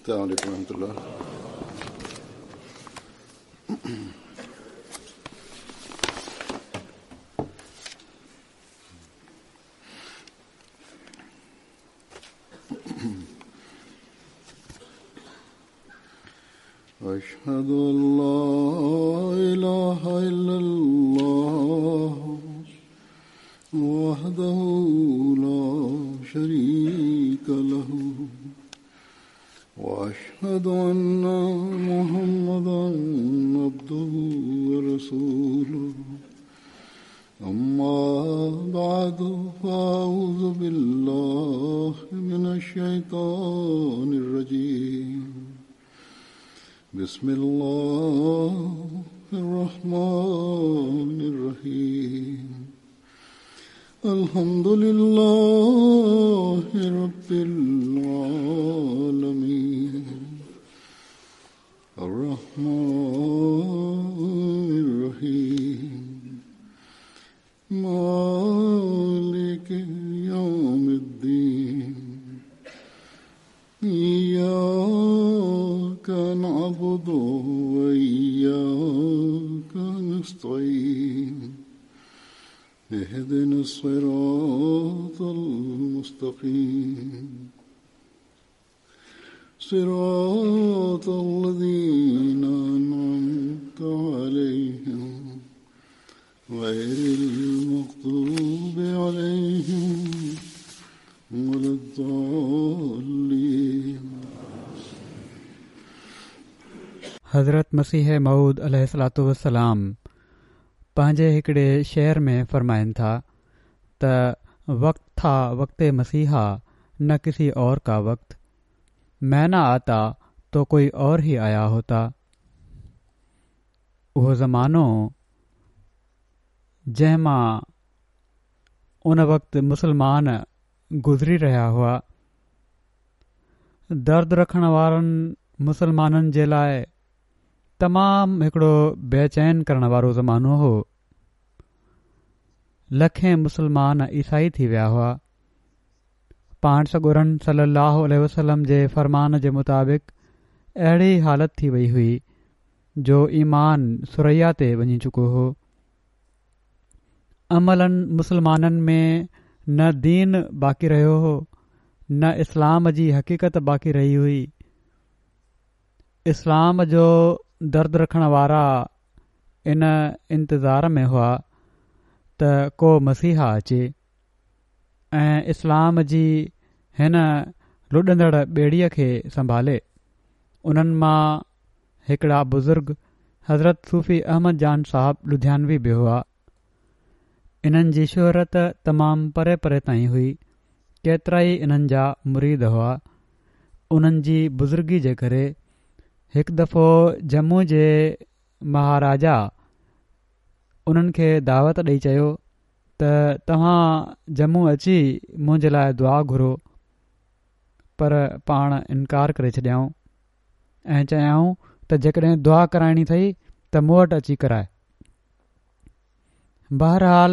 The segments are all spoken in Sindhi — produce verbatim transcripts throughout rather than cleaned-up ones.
السلام عليكم ورحمة الله. أشهد أن لا إله إلا الله وحده لا شريك له وأشهد أن محمدا عبده ورسوله. أما بعد فأعوذ بالله من الشيطان الرجيم. بسم الله الرحمن الرحيم. الحمد لله رب العالمين الرحمن الرحيم مالك يوم الدين. إياك نعبد وإياك نستعين. اهدنا الصراط المستقيم صراط الذين أنعمت عليهم غير المغضوب عليهم ولا الضالين. حضرت مسيح موعود عليه الصلوة والسلام پنهنجي هڪڙي شعر ۾ فرمائن ٿا ته وقت ٿا وقت مسيحا نه ڪسي اور کا وقت، میں نہ آتا تو کوئی اور ہی آیا ہوتا. اهو زمانو جنهن مان ان وقت مسلمان گذري رهيا هئا، درد رکڻ وارن مسلمانن جي لاءِ تمام هڪڙو بيچين ڪرڻ وارو زمانو هو. لکين مسلمان عيسائي ٿي ويا هئا. پاڻ سڳورن صلي الله عليه وسلم جي فرمان جي مطابق اهڙي حالت ٿي وئي هئي جو ايمان ثريا تي وڃي چڪو هو. عملاً مسلمانن ۾ نه دين باقي رهيو هو، نه اسلام جي حقيقت باقي رهي هئي. اسلام جو درد رکڻ وارا ان انتظار ۾ هئا ته ڪو مسيحا اچي ۽ اسلام جي هن لڏندڙ ٻيڙيءَ کي سنڀالي. انهن مان هڪڙا بزرگ حضرت صوفي احمد جان صاحب لڌيانوي به هئا. انهن جي شهرت تمام پري پري تائين هئي. ڪيترا ئي انهن جا مريد هئا. انهن جي بزرگي جي ڪري هڪ دفعو ڄمون جي مهاراجا انهن کي دعوت ڏئي چيو ته توهان ڄمون اچي منهنجي لاءِ دعا گهرو، پر پاڻ انڪار ڪري ڇڏيائون ۽ چيائون ته جيڪڏهن دعا ڪرائڻي اٿئي ته مون وٽ اچي ڪرائي. بهرحال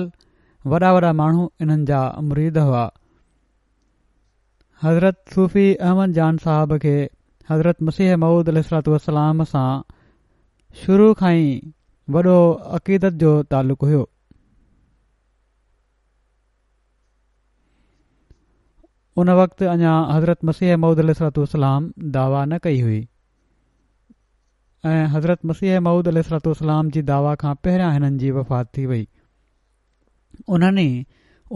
وڏا وڏا ماڻهو انهن جا مريد هئا. حضرت صوفي احمد جان صاحب کي حضرت مسيح موعود عليه الصلوة والسلام سان شروع کان ئي وڏو عقيدت جو تعلق هيو. ان وقت اڃا حضرت مسيح موعود عليه الصلوة والسلام دعويٰ نه ڪئي هئي ۽ حضرت مسيح موعود عليه الصلوة والسلام جي دعويٰ کان پهريان هنن جي وفات ٿي وئي. انهن ئي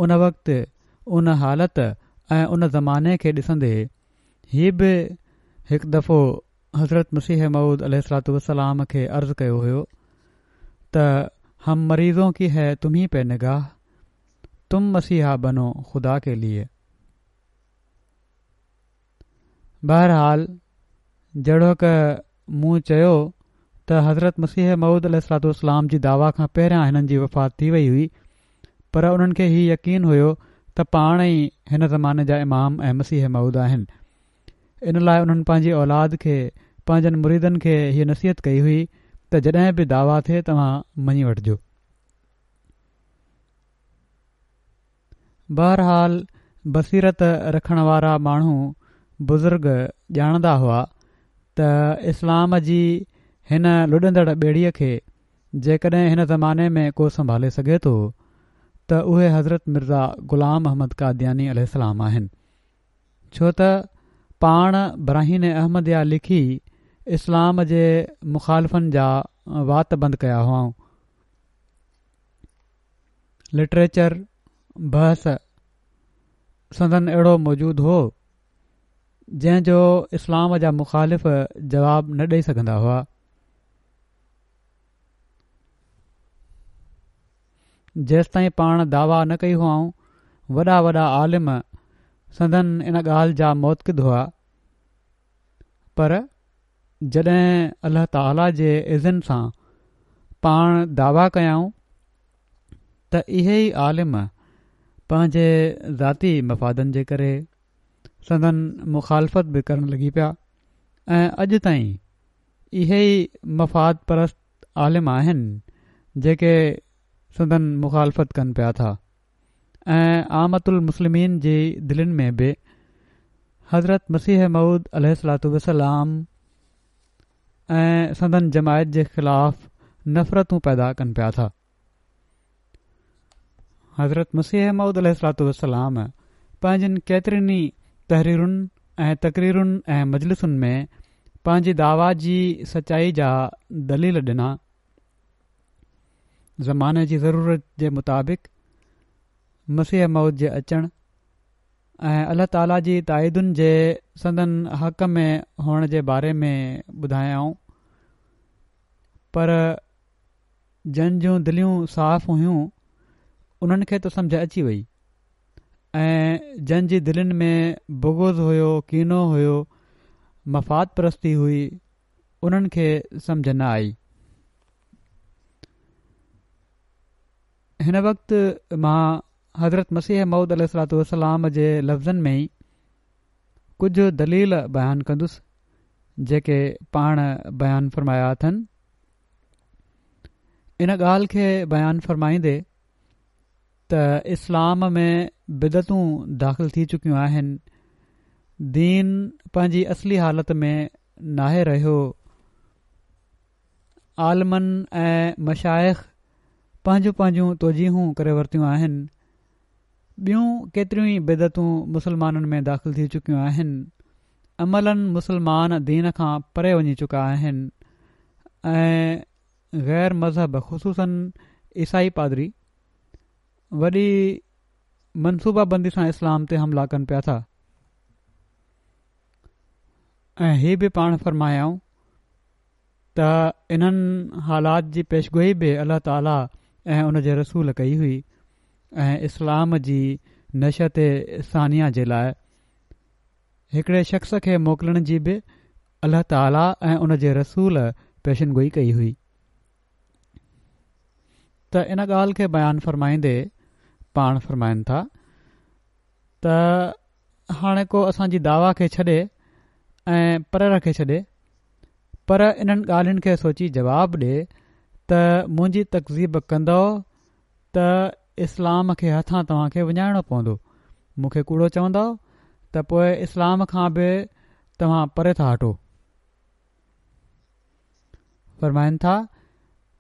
ان وقت ان حالت ۽ ان زماني کي ڏسندي هي به هڪ دفعو حضرت مسيح موعود عليه الصلوة والسلام کي عرض ڪيو هيو ته هم مريضون ڪي هي تمهي پي نگاهه، تم مسيحا بنو خدا ڪي لئي. بهرحال جهڙوڪ مون چيو ته حضرت مسيح موعود عليه الصلوة والسلام جي دعويٰ کان پهريان هنن جي وفات ٿي وئي هئي، پر انهن کي هي يقين هيو ته پاڻ ئي هن زماني جا امام ۽ مسيح موعود آهن. ان لاءِ انهن پنهنجي اولاد کي، پنهنجن مريدن کي هيءَ نصيحت ڪئي هئي ته جڏهن به دعويٰ ٿئي توهان مڃي وٺجو. بهرحال بصيرت رکڻ وارا ماڻهو بزرگ ڄاڻندا هئا ته اسلام جي هن لڏندڙ ٻيڙيء کي جيڪڏهن هن زماني ۾ ڪو سنڀالي سگهي ٿو ته اهي حضرت مرزا غلام احمد قادياني عليه السلام آهن، ڇو ته پاڻ براهين احمديه لکي اسلام جي مخالفن جا وات بند ڪيا هئائون. لٽريچر، بحث سندن اهڙو موجود هو جنهن جو اسلام جا مخالف جواب نه ڏئي سگهندا هئا. جيستائين پاڻ دعويٰ نه ڪئي هئائون، وڏا وڏا عالم سندن ان ڳالهه جا معتقد هئا، پر جڏهن الله تعاليٰ جي اذن سان پاڻ دعويٰ ڪيائون ته اهي ئي عالم پنهنجي ذاتي مفادن جي ڪري سندن مخالفت به ڪرڻ لڳي پيا ۽ اڄ تائين اهي ئي مفاد پرست عالم آهن جيڪي سندن مخالفت ڪن پيا ٿا ۽ عامة المسلمين جي دلين ۾ به حضرت مسيح موعود عليه الصلوة والسلام ۽ سندن جماعت جي خلاف نفرتون پيدا ڪن پيا ٿا. حضرت مسيح موعود عليه الصلوة والسلام پنهنجين ڪيترين ئي تحريرن ۽ تقريرن ۽ مجلسن ۾ پنهنجي دعويٰ جي سچائي جا دليل ڏنا. زماني جي ضرورت جي مطابق مسيح موعود جي اچڻ ۽ الله تعاليٰ جي تائيدن جي سندن حق ۾ هئڻ جي باري ۾ ٻڌايائون، پر جن جون دليون صاف هيون انهن کي ته سمجهه اچي وئي ۽ جن جي دلين ۾ بغض هيو، ڪينو هيو، مفاد پرستي هئي، انهن کي سمجهه نه آئي. هن وقت مان حضرت مسيح موعود عليه الصلوة والسلام جي لفظن ۾ ئي ڪجهه دليل بيان ڪندس جيڪي پاڻ بيان فرمايا اٿن. ان ڳالهه کي بيان فرمائيندي ته اسلام ۾ بدعتون داخل ٿي چڪيون آهن، دين پنهنجي اصلي حالت ۾ ناهي رهيو، عالمن ۽ مشائخ پنهنجون پنهنجون توجيهون ڪري ورتيون آهن، ٻيون ڪيتريون ئي بدعتون مسلمانن ۾ داخل ٿي چڪيون آهن، عملاً مسلمان دين کان پري وڃي چڪا آهن ۽ غير مذهب خصوصاً عيسائي پادري وڏي منصوبه بندي سان اسلام تي حملا ڪن پيا ٿا. ۽ هي به پاڻ فرمايائون ته انهن حالات جي پيشگوئي به الله تعاليٰ ۽ ان جي رسول ڪئي هئي ۽ اسلام جي نشأت ثانيه جي لاء هڪڙي شخص کي موڪلڻ جي به الله تعاليٰ ۽ ان جي رسول پيشنگوئي ڪئي هئي. ته ان ڳالهه کي بيان فرمائيندي پاڻ فرمائن ٿا ته هاڻي ڪو اسان جي دعويٰ کي ڇڏي ۽ پري رکي ڇڏي، پر انهن ڳالهين کي سوچي جواب ڏي ته منهنجي تڪذيب ڪندؤ ته اسلام کي هٿان توهان کي وڃائڻو پوندو، مون کي ڪوڙو چوندؤ ته پوء اسلام کان به توهان پري ٿا هٽو. فرمائن ٿا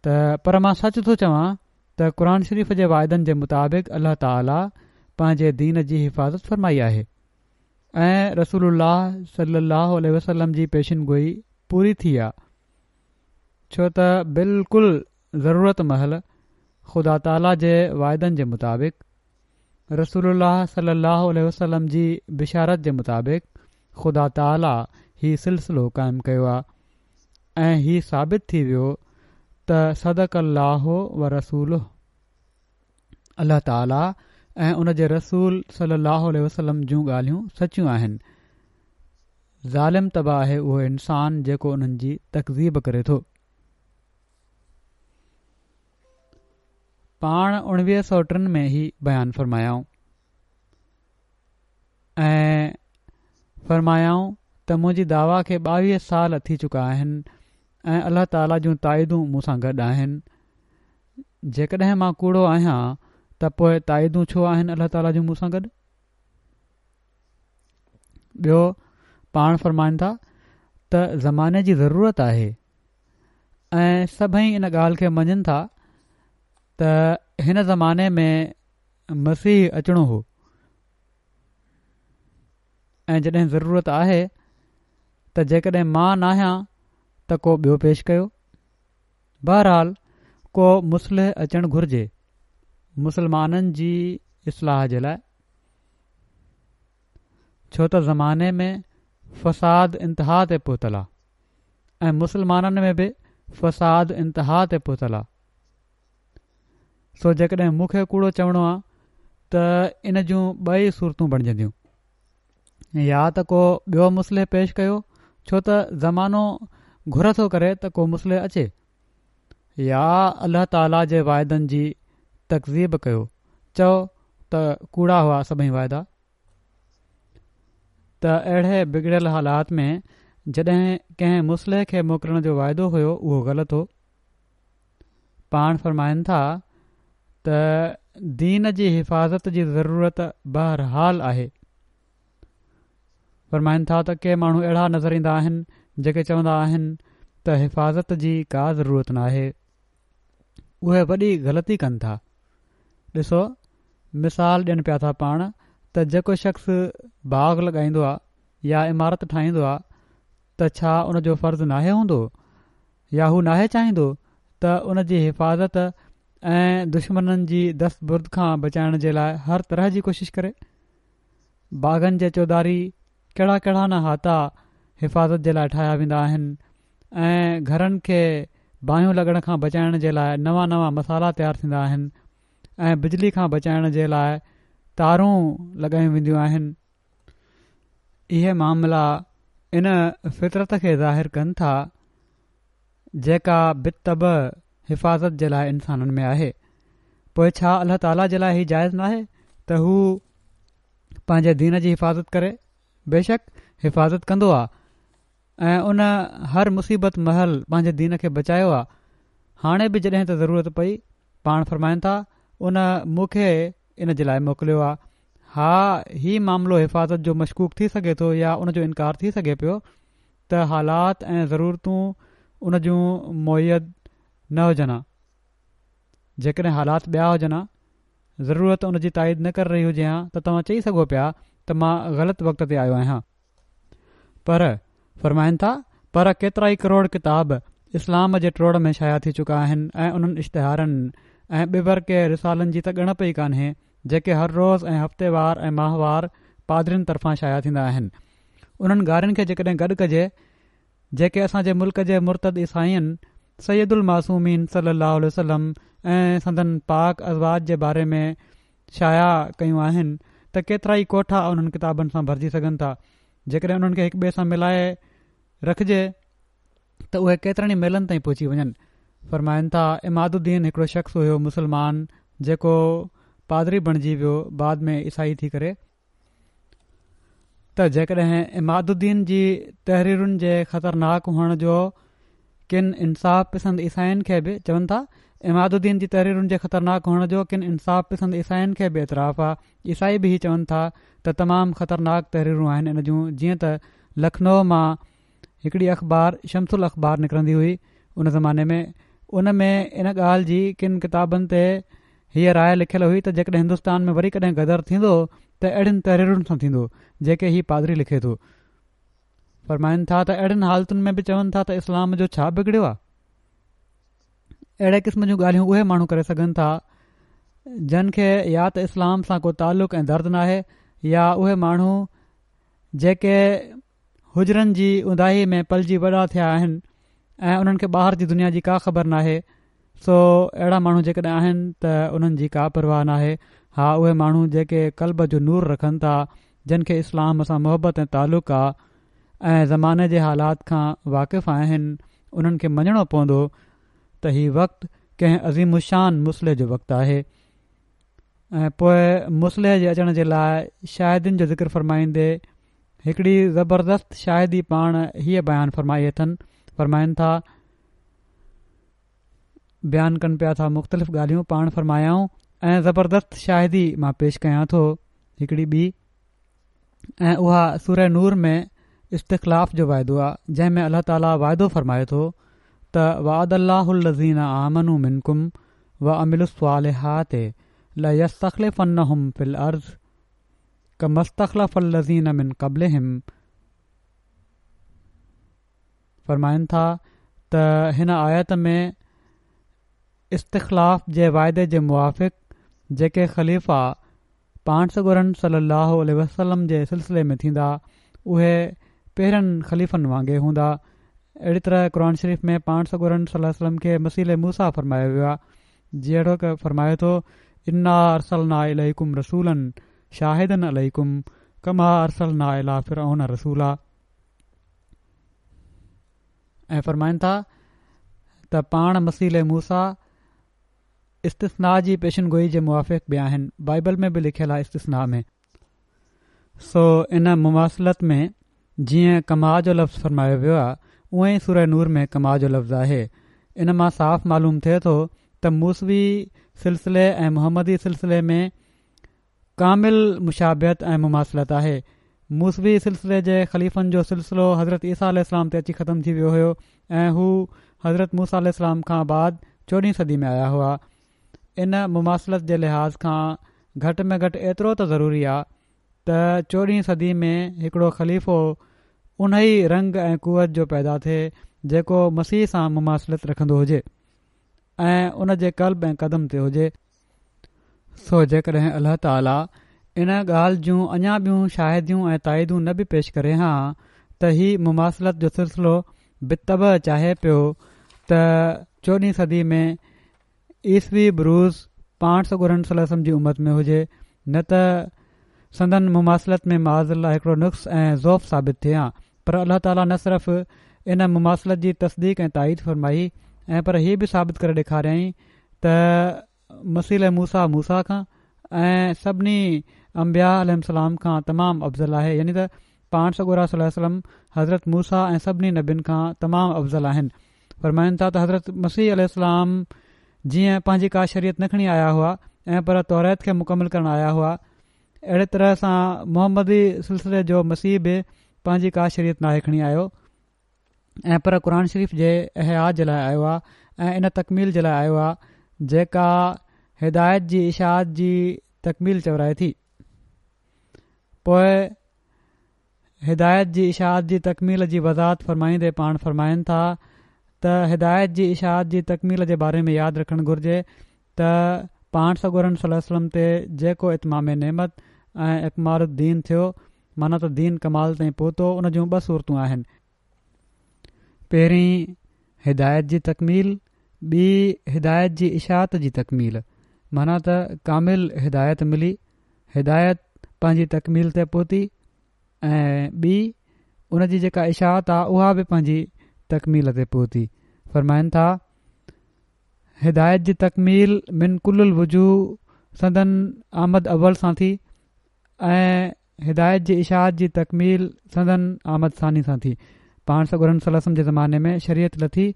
ته پر مان سچ ٿو چوان ته قرآن شريف جي واعدن جي مطابق الله تعاليٰ پنهنجي دين جي حفاظت فرمائي آهي ۽ رسول الله صلي الله عليه وسلم جي پيشن گوئي پوري ٿي آ، ڇو ته بلڪل ضرورت مهل خدا تعاليٰ جي واعدن جي مطابق رسول الله صلي الله عليه وسلم جي بشارت جي مطابق خدا تعاليٰ هي سلسلو قائم ڪيو آ ۽ هي ثابت ٿي ويو ته صدق الله ورسوله، الله تعاليٰ ۽ ان جي رسول صلي الله عليه وسلم جون ڳالهيون سچيون آهن. ظالم طبع آهي اهو انسان جيڪو انهن جي تڪذيب ڪري ٿو. پاڻ اڻويهه سؤ ٽن ۾ هي بيان فرمايائون ۽ فرمايائون ته منهنجي دعويٰ کي ٻاويهه سال ٿي چڪا آهن ۽ الله تعاليٰ جون تائيدون مون سان گڏ آهن. جيڪڏهن مان ڪوڙو آهيان ته پوء تائيدون ڇو آهن الله تعاليٰ جون مون سان گڏ؟ ٻيو پاڻ فرمائن ٿا ته زماني جي ضرورت آهي ۽ سڀئي ان ڳالهه کي مڃن ٿا ته هن زماني ۾ مسيح اچڻو هو ۽ جڏهن ضرورت آهي ته جيڪڏهن مان ناهيان ته ڪو ٻيو پيش ڪيو. بهرحال ڪو مصلح اچڻ گهرجي مسلمانن جي اصلاح جي لاء، ڇو ته زماني ۾ فساد انتها تي پهتل آ ۽ مسلمانن ۾ به فساد انتها تي پهتل آ. سو جيڪڏهن مون کي ڪوڙو چوڻو آ ته ان جون ٻه ئي صورتون بڻجنديون، يا ته ڪو ٻيو مصلح پيش ڪيو، ڇو ته زمانو گهر ٿو ڪري ته ڪو مصلح اچي، يا الله تعاليٰ جي واعدن جي تڪذيب ڪيو، چئو ته ڪوڙا هئا سڀئي واعدا. ته اهڙي بگڙيل حالات ۾ جڏهن ڪنهن مصلح کي موڪلڻ جو واعدو هيو اهو غلط هو. پاڻ فرمائن ٿا ته دين جي حفاظت جي ضرورت بهرحال آهي. فرمائن ٿا ته ڪي ماڻهو اهڙا نظر ايندا آهن جيڪي چوندا آهن ته حفاظت جي ڪا ضرورت ناهي. اهي وڏي غلطي ڪن ٿا. ڏسو مثال ڏين پيا ٿا پاڻ ته جيڪو شخص باغ لڳائيندو آ يا عمارت ٺاهيندو آ ته ڇا ان جو فرض ناهي هوندو يا هو ناهي چاهيندو ته ان جي حفاظت ۽ دشمنن جي دست برد کان بچائڻ جي لاء هر طرح جي ڪوشش ڪري؟ باغن جي چوڌاري ڪهڙا ڪهڙا نه احاطا حفاظت جي لاء ٺاهيا ويندا آهن ۽ گهرن کي باهيون لڳڻ کان بچائڻ جي لاء نوان نوان مصالحا تيار ٿيندا آهن ۽ بجلي کان بچائڻ جي لاء تارون لڳايون وينديون آهن. اهي معاملا ان فطرت کي ظاهر ڪن ٿا جيڪا بالطبع حفاظت جي لاء انسانن ۾ آهي. پوء ڇا الله تعاليٰ جي لاء هي جائز ناهي ته هو پنهنجي دين جي حفاظت ڪري؟ بيشڪ حفاظت ڪندو آ ۽ ان هر مصيبت مهل پنهنجي دين کي بچايو آ. هاڻي به جڏهن ته ضرورت پئي، پاڻ فرمائن ٿا، ان مون کي ان جي لاء موڪليو آ. ها هي معاملو حفاظت جو مشڪوڪ ٿي سگهي ٿو يا ان جو انڪار ٿي سگهي پيو ته حالات ۽ ضرورتون ان جون مؤيد نه هجن ها. جيڪڏهن حالات ٻيا هجن ها، ضرورت ان جي تائيد نه ڪري رهي هجي ها ته توهان چئي سگهو پيا ته مان غلط وقت تي آيو آهيان. پر فرمائن ٿا پر ڪيترائي ڪروڙ ڪتاب اسلام جي ٽوڙ ۾ شايع ٿي چڪا آهن ۽ انهن اشتهارن ۽ ٻه ورقي رسالن جي ته ڳڻپ ئي ڪانهي جيڪي هر روز ۽ هفتيوار ۽ ماهوار پادرين طرفان شايع ٿيندا آهن. انهن گارين کي جيڪڏهن گڏ ڪجي جيڪي اسان جي ملڪ جي مرتد عيسائين سيد المعصومين صلي الله عليه وسلم ۽ سندن پاڪ ازواج جي باري ۾ شايع ڪيون آهن ته ڪيترائي ڪوٺا انهن ڪتابن سان ڀرجي سگهن ٿا. جيڪڏهن انهن کي هڪ ٻئي سان ملائي رکجي ته اهي ڪيترن ئي ميلن تائين پهچي وڃن. فرمائن ٿا عماد الدين هڪڙو شخص هيو مسلمان جيڪو پادري بڻجي ويو بعد ۾ عيسائي ٿي ڪري، ته جيڪڏهن عماد الدين جي تحريرن جي خطرناڪ هئڻ جو ڪن انصاف پسند عيسائين کي به چون ٿا عماد الدين جي تحريرن جي خطرناڪ هئڻ جو ڪن انصاف پسند عيسائين کي به اعتراف آ. عيسائي به هي چون ٿا ته تمام خطرناڪ تحريرون آهن ان جون. جيئن ته لکنو مان هڪڙي اخبار شمس الاخبار نڪرندي هئي ان زماني ۾ ان ۾ ان ڳالهه جي ڪن ڪتابن تي هيء راء لکيل هئي ته جيڪڏهن هندستان ۾ وري ڪڏهن غدر ٿيندو ته اهڙين تحريرن سان ٿيندو جيڪي هي پادري لکي ٿو. فرمائن ٿا ته اهڙين حالتن ۾ به چون ٿا ته اسلام جو ڇا بگڙيو آ؟ اهڙي قسم جون ڳالهيون اهي ماڻهو ڪري سگهن ٿا جن کي يا ته اسلام سان ڪو تعلق ۽ درد ناهي يا اهي ماڻهو جيڪي حجرن جي اونداهي ۾ پلجي وڏا ٿيا آهن ۽ انهن کي ٻاهر جي دنيا جي ڪا خبر ناهي. سو اهڙا ماڻهو جيڪڏهن آهن ته انهن جي ڪا پرواهه ناهي. ها اهي ماڻهو جيڪي قلب جو نور رکن ٿا، جن کي اسلام سان محبت ۽ تعلق آ ۽ زماني جي حالات کان واقف آهن، انهن کي مڃڻو پوندو ته هي وقت ڪنهن عظيم الشان مصلح جو وقت آهي. ۽ پوء مصلح جي اچڻ جي لاء شاهدين جو ذڪر فرمائيندي هڪڙي زبردست شاهدي پاڻ هيء بيان فرمائي اٿن. فرمائن ٿا، بيان ڪن پيا ٿا مختلف ڳالهيون، پاڻ فرمايائون ۽ زبردست شاهدي مان پيش ڪيان ٿو هڪڙي ٻي، ۽ اها سوره نور ۾ استخلاف جو واعدو آهي، جنهن ۾ الله تعاليٰ واعدو فرمائي ٿو ته وعد الله الذين آمنوا منڪم وعملوا الصالحات ليستخلفنهم في الارض ڪما استخلف الذين من قبلهم. فرمائن ٿا ته هن آيت ۾ استخلاف جي واعدي جي موافق جيڪي خليفا پاڻ سڳورن صلي الله عليه وسلم جي سلسلي ۾ ٿيندا اهي پهرين خليفن وانگي هوندا. اهڙي طرح قرآن شريف ۾ پاڻ سڳورن صلي الله عليه وسلم کي مسيح موسيٰ فرمايو ويو آهي، جهڙوڪ فرمايو ٿو انا ارسلنا اليڪم رسولا شاهدا عليڪم ڪما ارسلنا الي فرعون رسولا. ۽ فرمائن ٿا ته پاڻ مسيح موسيٰ استثناء جي پيشن گوئي جي موافق به آهن، بائبل ۾ به لکيل آهي استثناء ۾. سو ان مماثلت ۾ جيئن ڪما جو لفظ فرمايو ويو آهي اونئن ئي سوره نور ۾ ڪما جو لفظ آهي. ان مان صاف معلوم ٿئي ٿو ته موسوي سلسلي ۽ محمدي سلسلي ۾ ڪامل مشابهت ۽ مماثلت آهي. موسوي سلسلي جي خليفن جو سلسلو حضرت عيسيٰ عليه السلام تي اچي ختم ٿي ويو هيو ۽ هو حضرت موسيٰ عليه السلام کان بعد چوڏهين صدي ۾ آيا هئا. ان مماثلت جي لحاظ کان گهٽ ۾ گهٽ ايترو ته ضروري آ ته چوڏهين صدي ۾ هڪڙو خليفو انهي رنگ ۽ قوت جو پيدا ٿئي جيڪو مسيح سان مماثلت رکندو هجي ۽ ان جي قلب ۽ قدم تي هجي. سو جيڪڏهن الله تعاليٰ ان ڳالهه جون اڃا ٻيون شاهديون ۽ تائيدون نه به پيش ڪري ها ته هي مماثلت جو سلسلو بالطبع چاهي پيو ته چوڏهين صدي ۾ عيسوي بروز پاڻ سڳورن صلي الله عليه وسلم جي امت ۾ هجي، نه ته سندن مماثلت ۾ معاذ الله هڪڙو نقص ۽ ضعف ثابت ٿئي ها. پر الله تعاليٰ نه صرف ان مماثلت جي تصديق ۽ تائيد فرمائي ۽ پر هي به ثابت ڪري ڏيکاريائين ته مسيح موسيٰ موسيٰ کان ۽ سڀني انبياء عليهم السلام کان تمام افضل آهي، يعني ته پاڻ سڳورا صلي الله عليه وسلم حضرت موسيٰ ۽ سڀني نبين کان تمام افضل آهن. فرمائن ٿا ته حضرت مسيح عليه السلام جيئن پنهنجي ڪا شريعت نه کڻي آيا هئا ۽ پر توريت کي مڪمل ڪرڻ آيا هئا، اهڙي طرح سان محمدي سلسلي جو مسيح به پنهنجي ڪا شريعت ناهي کڻي آيو ۽ پر قرآن شريف جي احياء جي لاء آيو آهي ۽ ان تڪميل جي لاء آيو آهي جيڪا هدايت جي اشاعت جي تڪميل چورائي ٿي. پوء هدايت جي اشاعت جي تڪميل جي وضاحت فرمائيندي پاڻ فرمائن ٿا ته هدايت جي اشاعت جي تڪميل جي باري ۾ ياد رکڻ گهرجي ته پاڻ سڳورن صلي الله عليه وسلم تي جيڪو اتمام نعمت ۽ اڪمال الدين ٿيو، معنيٰ ته دين ڪمال تائين پهتو، ان جون ٻه صورتون آهن. پهرين هدايت جي تڪميل، ٻي هدايت جي اشاعت جي تڪميل، معنيٰ ته ڪامل هدايت ملي، هدايت پنهنجي تڪميل تي پهتي ۽ ٻي ان جي جيڪا اشاعت آ اها به پنهنجي تڪميل تي پهتي. فرمائن ٿا هدايت جي تڪميل من ڪل الوجوه سندن آمد اول سان ٿي ۽ هدايت جي اشاعت جي تڪميل سندن آمد ثاني سان ٿي. پاڻ سڳورن صلي الله عليه وسلم جي زماني ۾ شريعت لٿي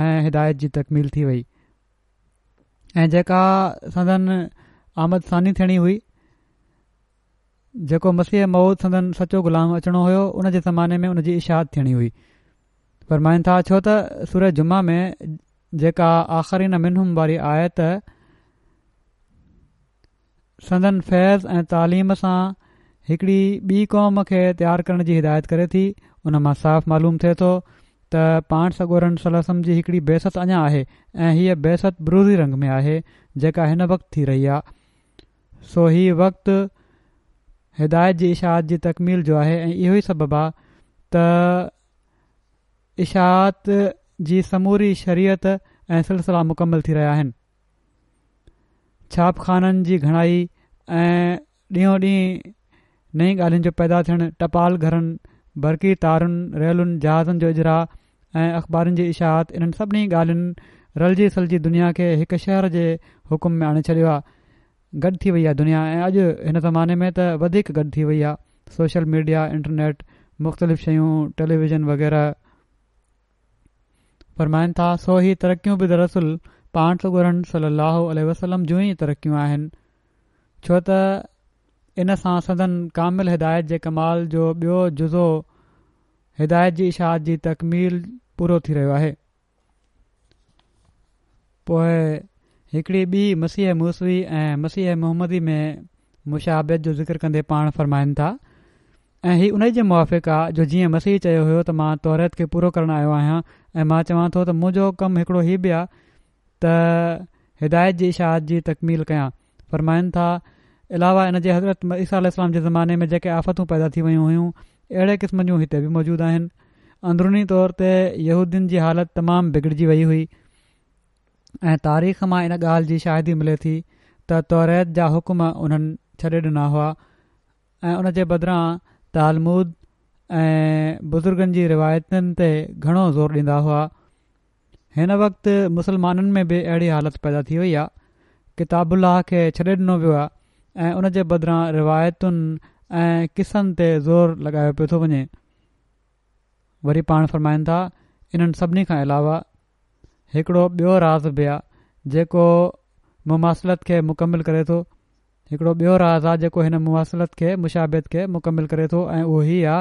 ۽ هدايت جي تڪميل ٿي وئي ۽ جيڪا سندن آمد ثاني ٿيڻي هئي، جيڪو مسيح موعود سندن سچو غلام اچڻو هيو، ان جي زماني ۾ ان جي اشاعت ٿيڻي هئي. فرمائن ٿا ڇو ته سوره جمعه ۾ جيڪا آخرين منهم واري آيت سندن فيض ۽ تعليم سان هڪڙي ٻي قوم کي تيار ڪرڻ جي هدايت ڪري ٿي، ان مان صاف معلوم ٿئي ٿو ته پاڻ سڳورن صلي الله عليه وسلم جي هڪڙي بعثت اڃا آهي ۽ هيء بعثت بروزي رنگ ۾ آهي جيڪا هن وقت ٿي رهي آهي. سو هي وقت هدايت جي اشاعت جي تڪميل جو آهي ۽ اهو ئي سبب آهي ته اشاعت جي سموري شريعت ۽ سلسلا مڪمل ٿي رهيا آهن. ڇاپخانن جي گهڻائي ۽ ڏينهون ڏينهن نئين ڳالهين جو پيدا ٿيڻ، ٽپال گهرن، برقي تارن، ريلن، جهازن جو اجراء ۽ اخبارن جي اشاعت، انهن سڀني ڳالهين رلجي سلجي دنيا کي هڪ شهر جي حڪم ۾ آڻي ڇڏيو آهي. گڏ ٿي وئي آهي دنيا ۽ اڄ هن زماني ۾ ته وڌيڪ گڏ ٿي وئي آهي. سوشل ميڊيا، انٽرنيٽ، مختلف شيون، ٽيليويزن وغيره. فرمائن ٿا سو هي ترقيون به دراصل پاڻ سڳورن صلي الله عليه وسلم جون ئي ترقيون آهن، ڇو ته ان سان سندن ڪامل هدايت جي ڪمال جو ٻيو جزو هدايت جي اشاعت جي تڪميل پورو ٿي رهيو آهي. پوء هڪڙي ٻي مسيح موسوي ۽ مسيح محمدي ۾ مشابهت جو ذڪر ڪندي پاڻ فرمائن ٿا ۽ هي انهي جي موافق آ جو جيئن مسيح چيو هيو ته مان توريت کي پورو ڪرڻ آيو آهيان ۽ مان چوان ٿو ته منهنجو ڪم هڪڙو هي به آ ته هدايت جي اشاعت جي تڪميل ڪيان. فرمائن ٿا علاوه ان جي حضرت عيسيٰ عليه السلام جي زماني ۾ جيڪي آفتون پيدا ٿي ويون هيون اهڙي قسم جون هتي به موجود آهن. اندروني طور تي يهودين جي حالت تمام بگڙجي وئي هئي ۽ تاريخ مان ان ڳالهه جي شاهدي ملي ٿي ته توريت جا حڪم انهن ڇڏي ڏنا هئا ۽ ان جي بدران تالمود ۽ بزرگن جي روايتن تي گهڻو زور ڏيندا هئا. هن وقت مسلمانن ۾ به اهڙي حالت پيدا ٿي وئي آهي. ڪتاب الله کي ڇڏي ڏنو ويو آهي ۽ ان جي بدران روايتن ۽ قصن تي زور لڳايو پيو ٿو وڃي. وري پاڻ فرمائن ٿا انهن سڀني کان علاوه هڪڙو ٻيو راز به آ جيڪو مماثلت کي مڪمل ڪري ٿو. هڪڙو ٻيو راز آ جيڪو هن مماثلت کي، مشابهت کي، مڪمل ڪري ٿو ۽ اهو هي آ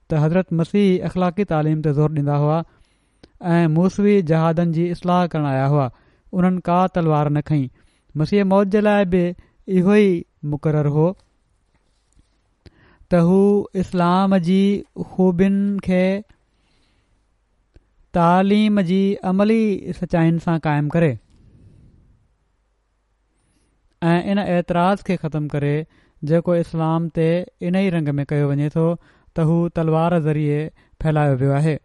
ته حضرت مسيح اخلاقي تعليم تي زور ڏيندا هئا ۽ موسوي جهادن جي اصلاح ڪرڻ آيا هئا. انهن ڪا تلوار نه کنئي. مسيح موعود جي لاء به اهو ئي مقرر هو ته هو اسلام جي خوبين کي تعليم جي عملي سچائين سان قائم ڪري ۽ ان اعتراض کي ختم ڪري جيڪو اسلام تي انهي رنگ ۾ ڪيو وڃي ٿو ته هو تلوار ذريعي ڦهلايو ويو آهي.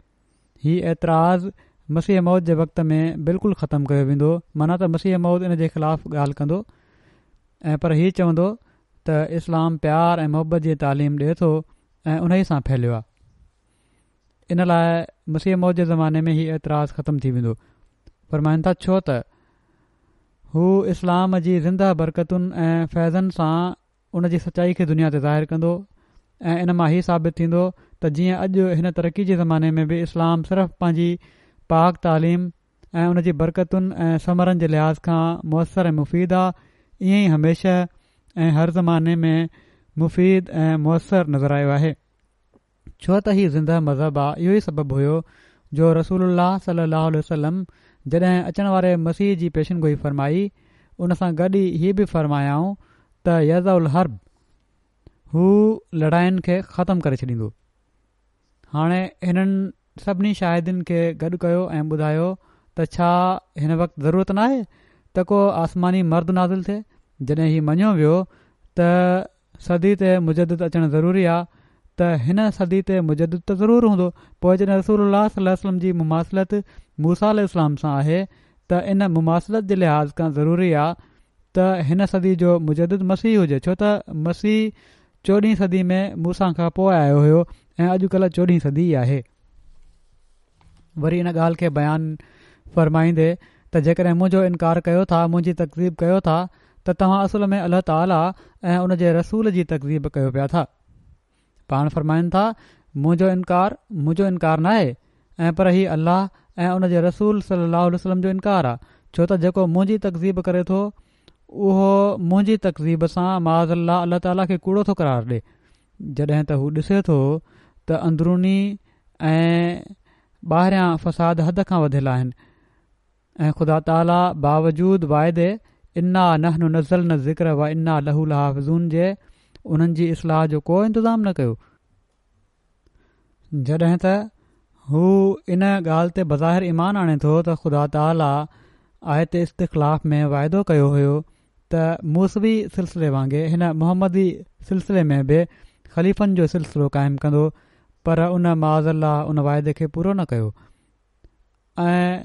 هي اعتراض مسيح موعود جي وقت ۾ بلڪل ختم ڪيو ويندو معنيٰ ته مسيح موعود ان جي خلاف ڳالهه ڪندو ۽ پر هي چوندو ته اسلام پيار ۽ محبت جي تعليم ڏئي ٿو ۽ انهي سان ڦهليو آهي. ان لاء مسيح موعود جي زماني ۾ هي اعتراض ختم ٿي ويندو. فرمائن ٿا ڇو ته هو اسلام جي زنده برڪتن ۽ فيضن سان ان جي سچائي کي دنيا تي ظاهر ڪندو ۽ ان مان هي ثابت ٿيندو ته جيئن اڄ هن ترقي جي زماني ۾ به اسلام صرف پنهنجي پاڪ تعليم ۽ ان جي برڪتن ۽ ثمرن جي لحاظ کان موثر ۽ مفيد آ ائين ئي هميشه ۽ هر زماني ۾ مفيد ۽ موثر نظر آيو آهي. ڇو ته هي زنده مذهب آ اهو ئي سبب هيو جو رسول الله صلي الله عليه وسلم جڏهن اچڻ واري مسيح جي پيشن گوئي فرمائي ان سان گڏ ئي هي به فرمايائون ته يضع الحرب هو لڙاين کي ختم ڪري ڇڏيندو. هاڻي هنن سڀني شاهدين کي گڏ ڪيو ۽ ٻڌايو ته ڇا هن وقت ضرورت ناهي ته ڪو آسماني مرد نازل ٿئي جڏهن هي مڃيو ويو ته صدي تي مجدد اچڻ ضروري آ ته هن صدي تي مجدد ته ضرور هوندو پوء جڏهن رسول الله صلي الله عليه وسلم جي مماثلت موسيٰ عليه السلام سان آهي ته ان مماثلت جي لحاظ کان ضروري آ ته هن صدي جو مجدد مسيح هجي ڇو ته مسيح چوڏهين صدي ۾ موسيٰ کان پوء آيو هيو ۽ اڄ ڪلهه چوڏهين صدي ئي آهي. وري ان ڳالهه کي بيان فرمائيندي ته جيڪڏهن منهنجو انڪار ڪيو ٿا، منهنجي تڪذيب ڪيو ٿا ته توهان اصل ۾ الله تعاليٰ ۽ ان جي رسول جي تڪذيب ڪيو پيا ٿا. پاڻ فرمائن ٿا، منهنجو انڪار منهنجو انڪار ناهي ۽ پر هي الله ۽ ان جي رسول صلي الله عليه وسلم جو انڪار آ ڇو ته جيڪو منهنجي تڪذيب ڪري ٿو اهو منهنجي تڪذيب سان معاذ الله الله تعاليٰ کي ڪوڙو ٿو قرار ڏي جڏهن ته هو ڏسي ٿو ته اندروني ۽ ٻاهريان فساد حد کان وڌيل آهن ۽ خدا تعاليٰ باوجود واعدي انا نحن نزلنا الذڪر وانا له لحافظون جي انهن جي اصلاح جو ڪو انتظام نه ڪيو، جڏهن ته هو ان ڳالهه تي بظاهر ايمان آڻي ٿو ته خدا تعاليٰ آيت استخلاف ۾ واعدو ڪيو هيو ته موسوي سلسلي وانگي هن محمدي سلسلي ۾ به خليفن جو سلسلو قائم ڪندو پر ان معاذ الله ان واعدي کي پورو نه ڪيو ۽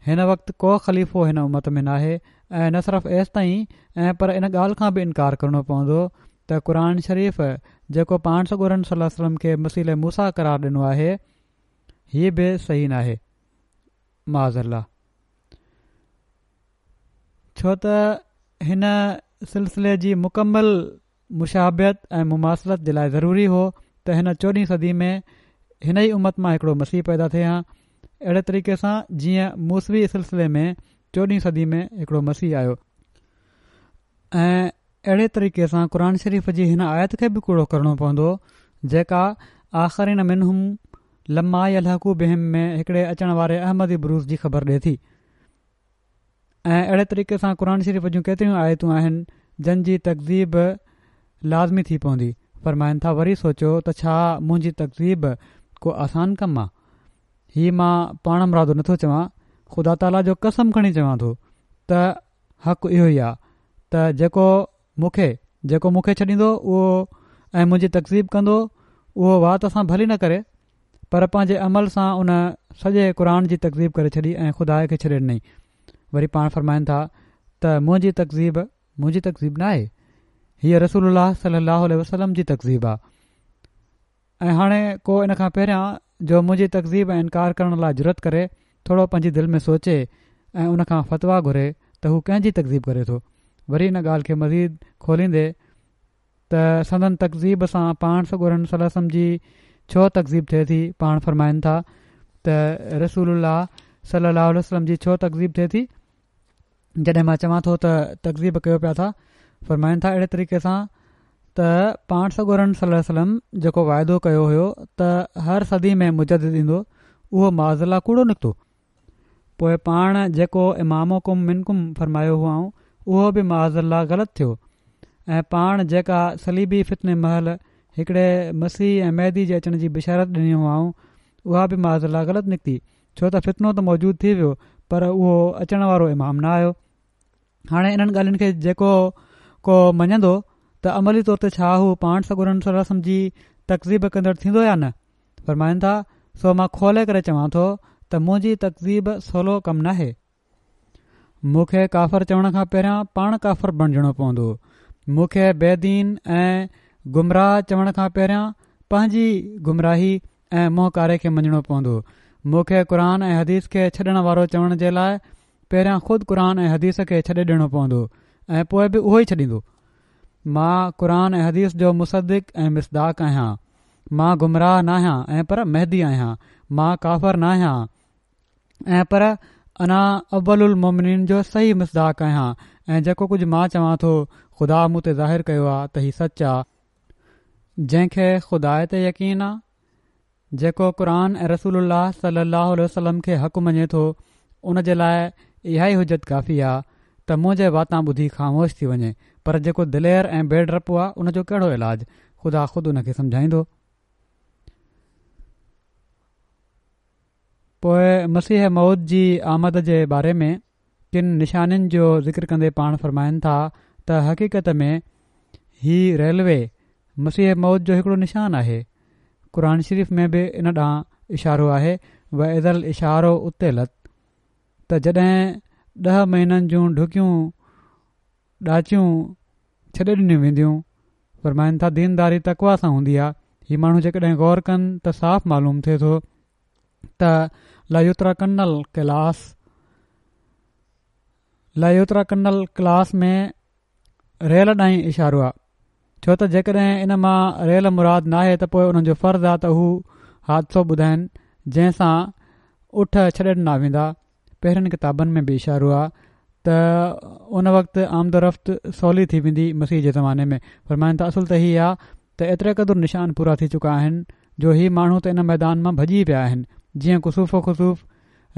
هن وقت ڪو خليفو هن امت ۾ ناهي ۽ نه صرف ايستائين ۽ پر ان ڳالهه کان به انڪار ڪرڻو پوندو ته قرآن شريف جيڪو پاڻ سڳورن صلي الله عليه وسلم کي مثيل موسيٰ قرار ڏنو آهي هي به صحيح ناهي معاذ الله ڇو ته هن سلسلي جي مڪمل مشابهت ۽ مماثلت جي لاء ضروري هو ته هن چوڏهين صدي ۾ هن ئي امت مان هڪڙو مسيح پيدا ٿئي ها اهڙي طريقي سان جيئن موسوي سلسلي ۾ چوڏهين صدي ۾ هڪڙو مسيح آيو ۽ اهڙي طريقي سان قرآن شريف جي هن آيت کي به ڪوڙو ڪرڻو پوندو جيڪا آخرين منهم لما يلحقوا بهم ۾ هڪڙي اچڻ واري احمدي بروز جي خبر ڏي ٿي ۽ اهڙي طريقي سان قرآن شريف جون ڪيتريون آيتون آهن جن جي تڪذيب لازمي ٿي پوندي. فرمائن ٿا وري سوچيو ته ڇا منهنجي تڪذيب ڪو آسان ڪم آ؟ هي مان پاڻ مرادو نٿو چوان، خدا تعاليٰ جو قسم کڻي چوان ٿو ته حق اهو ئي آ ته جيڪو مون کي جيڪو مون کي ڇڏيندو اهو ۽ منهنجي تڪذيب ڪندو اهو وات سان ڀلي نه ڪري پر پنهنجي عمل سان ان سڄي قرآن جي تڪذيب ڪري ڇڏي ۽ خدا کي ڇڏي ڏنائين. وري پاڻ فرمائن ٿا ته منهنجي تڪذيب منهنجي تڪذيب نه آهي، هيء رسول الله صلي الله عليه وسلم جي تڪذيب آ. ۽ هاڻي ڪو ان کان پهريان جو منهنجي تڪذيب ۽ انڪار ڪرڻ لاء جرئت ڪري ٿورو پنهنجي دل ۾ سوچي ۽ ان کان فتويٰ گهري ته هو ڪنهن جي تڪذيب ڪري ٿو. وري ان ڳالهه کي مزيد کوليندي ته سندن تڪذيب سان پاڻ سڳورن صلي الله عليه وسلم جي ڇو تڪذيب ٿئي ٿي، پاڻ فرمائن ٿا ته رسول الله صلي الله عليه وسلم جي ڇو تڪذيب ٿئي ٿي؟ جڏهن مان چوان ٿو ته تڪذيب ڪيو پيا ٿا، فرمائن ٿا اهڙي طريقي سان ته پاڻ سڳورن صلي الله عليه وسلم جيڪو واعدو ڪيو هيو ته هر صدي ۾ مجدد ايندو اهو معاذ الله ڪوڙو نڪتو. پوء پاڻ جيڪو امامڪم منڪم فرمايو هئائون اهو به معاذ الله غلط ٿيو ۽ پاڻ جيڪا صليبي فتني مهل هڪڙي مسيح ۽ مهدي جي اچڻ جي بشارت ڏني هئائون اها به معاذ الله غلط نڪتي، ڇو ته فتنو ته موجود ٿي ويو پر اهو اچڻ وارو امام نه آيو. هاڻي انهن ڳالهين کي جيڪو ڪو مڃندو ته عملي طور تي ڇا هو پاڻ سڳورن صلي الله عليه وسلم جي تڪذيب ڪندڙ ٿيندو يا نه؟ فرمائن ٿا سو مان کولي ڪري چوان ٿو ته منهنجي تڪذيب سولو ڪم ناهي. مون کي ڪافر چوڻ کان پهريان پاڻ ڪافر بڻجڻو پوندو. مون کي بي دين ۽ گمراهه چوڻ کان پهريان پنهنجي گمراهي ۽ منهن ڪاري کي مڃڻو پوندو. مون کي قرآن ۽ حديث کي ڇڏڻ وارو چوڻ جي لاء پهريان خود قرآن ۽ حديث کي ڇڏي ڏيڻو پوندو ۽ پوء به اهو ئي ڇڏيندو. مان قرآن ۽ حديث جو مصدق ۽ مصداق آهيان. مان گمراهه ناهيان ۽ پر مهدي آهيان. مان ڪافر ناهيان ۽ پر انا اول المومنين جو صحيح مصداق آهيان ۽ جيڪو ڪجهه مان چوان ٿو خدا مون تي ظاهر ڪيو آ ته هي سچ آ. جنهن کي خدا تي يقين آ، جيڪو قرآن ۽ رسول الله صلي الله عليه وسلم کي حق مڃي ٿو ان جي لاء اها ئي حجت ڪافي آ ته منهنجي واتان ٻڌي خاموش ٿي وڃي، پر جيڪو دلير ۽ بي ڊپو آ ان جو ڪهڙو علاج، خدا خود ان کي سمجهائيندو. پوء مسيح موعود جي آمد جي باري ۾ ڪن نشانين جو ذڪر ڪندي پاڻ فرمائن ٿا ته حقيقت ۾ هي ريلوي مسيح موعود جو هڪڙو نشان آهي. قرآن شريف ۾ به ان ڏانهن اشارو آهي واذا العشار عطلت ته جڏهن ڏهه مهينن جون ڍڪيون ڏاچيون ڇڏي ڏنيون وينديون. فرمائن ٿا دينداري تقويٰ سان هوندي آهي. هي ماڻهو جيڪڏهن غور ڪن ته صاف معلوم ٿئي ٿو ته ليترڪن القلاس ليترڪن القلاس ۾ ريل ڏانهن اشارو آهي، ڇو ته جيڪڏهن ان مان ريل مراد ناهي ته پوء انهن جو فرض آهي ته هو حادثو ٻڌائن جنهن سان اٺ ڇڏي ڏنا ويندا. پهرين ڪتابن ۾ به اشارو آهي ته ان وقت آمد و رفت سولي ٿي ويندي مسيح جي زماني ۾. فرمائن ٿا اصل ته هي آ ته ايتري قدر نشان پورا ٿي چڪا آهن جو هي ماڻهو ته ان ميدان مان ڀڄي پيا آهن، جيئن ڪسوف و خسوف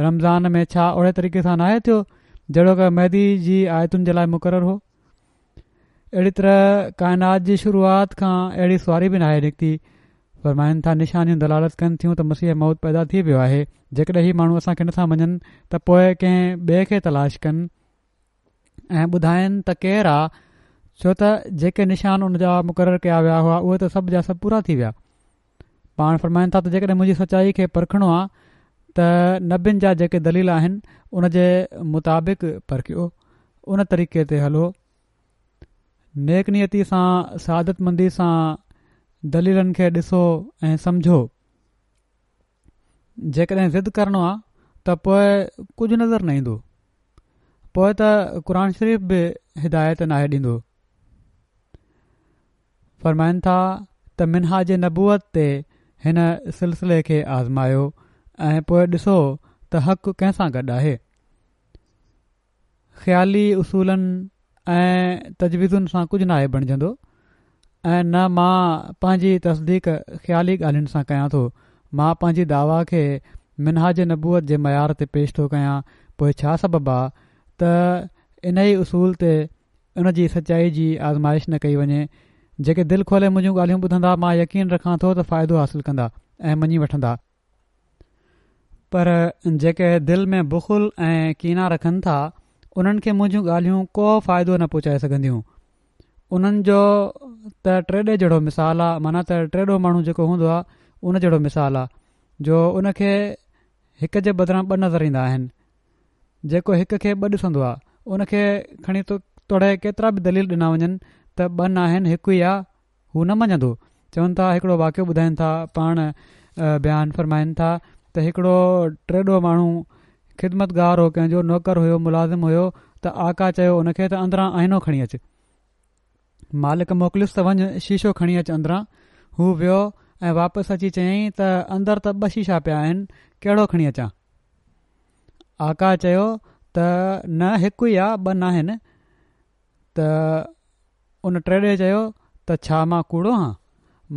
رمضان ۾ ڇا اهڙي طريقي سان ناهي ٿيو جهڙوڪ مهدي جي آيتن جي لاء مقرر هو؟ اهڙي طرح ڪائنات جي شروعات کان اهڙي سواري به ناهي نڪتي. فرمائن ٿا نشانيون دلالت ڪن ٿيون ته مسيح موعود پيدا ٿي ويو آهي، جيڪڏهن هي ماڻهو اسان کي نٿا مڃن ته پوء ڪنهن ٻئي کي تلاش ڪن ۽ ٻڌائن ته ڪير آ، ڇو ته جيڪي نشان ان جا مقرر ڪيا ويا هئا اهي ته سڀ جا سڀ پورا ٿي ويا. پاڻ فرمائن ٿا ته جيڪڏهن منهنجي سچائي کي پرکڻو آ ته نبين جا جيڪي دليل آهن ان جي مطابق پرکيو، ان طريقي تي هلو، نيڪ نيتي سان سعادت مندي سان دليلن کي ڏسو ۽ سمجهو. جيڪڏهن ضد ڪرڻو آ ته پوء ڪجهه نظر نه ايندو، پوء ته قرآن شريف به هدايت ناهي ڏيندو. فرمائن ٿا ته منهاج نبوت تي هن سلسلي کي آزمايو ۽ پوء ڏسو ته حق ڪنهن سان گڏ آهي. خيالي اصولن ۽ تجويزن سان ڪجهه ناهي بڻجندو ۽ نه مان پنهنجي تصديق خيالي ڳالهين سان ڪيان ٿو. مان پنهنجي دعويٰ کي منهاج نبوت جي معيار تي پيش ٿو ڪيان، پوء ڇا سبب آ ته انهي اصول تي ان جي سچائي جي آزمائش نه ڪئي وڃي؟ جيڪي دل کولي منهنجون ڳالهيون ٻڌندا مان يقين رکان ٿو ته فائدو حاصل ڪندا ۽ مڃي وٺندا، پر جيڪي دل ۾ بخل ۽ ڪينا رکن ٿا انهن کي منهنجون ڳالهيون ڪو فائدو نه پهچائي سگهنديون. انهن جو ته ٽيڏي جهڙو مثال آ، معنيٰ ته ٽيڏو ماڻهو جيڪو هوندو آ ان جهڙو مثال آ جو ان کي هڪ جي بدران ٻه نظر ايندا آهن. جيڪو هڪ کي ٻه ڏسندو آ ان کي کڻي توڙي ڪيترا به دليل ڏنا وڃن ته ٻه ناهن هڪ ئي آ، هو نه مڃندو. چون ٿا هڪڙو واقعو ٻڌائين ٿا، پاڻ بيان فرمائن ٿا ته هڪڙو ٽيڏو ماڻهو خدمتگار هو، ڪنهن جو نوڪر هيو، ملازم هيو، ته آقا چيو ان کي ته اندران آئينو کڻي اچ. مالڪ موڪليس ته وڃ شيشو کڻي اچ اندران. هو ويو ۽ واپس اچي چيائين ته اندر ته ٻه شيشا پيا آهن، ڪهڙو کڻي اچان؟ آقا چيو ته نه هڪ ئي آ، ٻه ناهن. ته ان ٽيڏي چيو ته ڇا مان ڪوڙو هان؟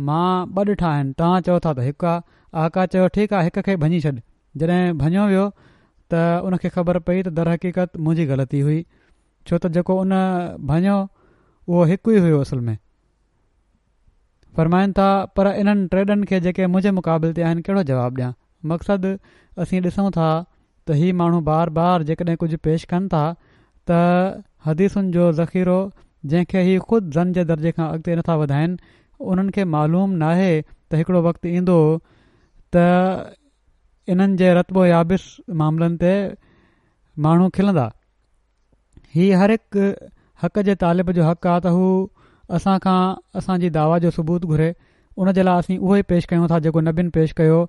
مان ٻه ڏٺا آهن، توهان چئو ٿا ته هڪ آ. آقا چيو ٺيڪ آ، هڪ کي ڀڃي ڇڏ. جڏهن ڀڃيو ويو ته ان کي خبر پئي ته درحقيقت منهنجي غلطي هئي، ڇو ته جيڪو ان ڀڃيو اهو هڪ ئي هيو اصل ۾. فرمائن ٿا پر انهن ٽيڏن کي جيڪي منهنجي مقابل تي آهن ڪهڙو جواب ڏيان؟ مقصد اسين ڏسون ٿا ته هي ماڻهو بار بار جيڪڏهن ڪجهه پيش ڪن ٿا ته حديثن جو ذخيرو جنهن کي هي خود ظن جي درجي کان اڳتي نٿا وڌائن، انهن کي معلوم ناهي ته هڪڙو وقت ايندو ته انهن جي رطب و يابس معاملن تي ماڻهو کلندا. هي هر هڪ حق جي طالب جو حق آ ته هو اسان کان اسان جي دعويٰ جو ثبوت گهري. ان جي لاء اسين اهو ئي پيش ڪيون ٿا جيڪو نبين پيش ڪيو.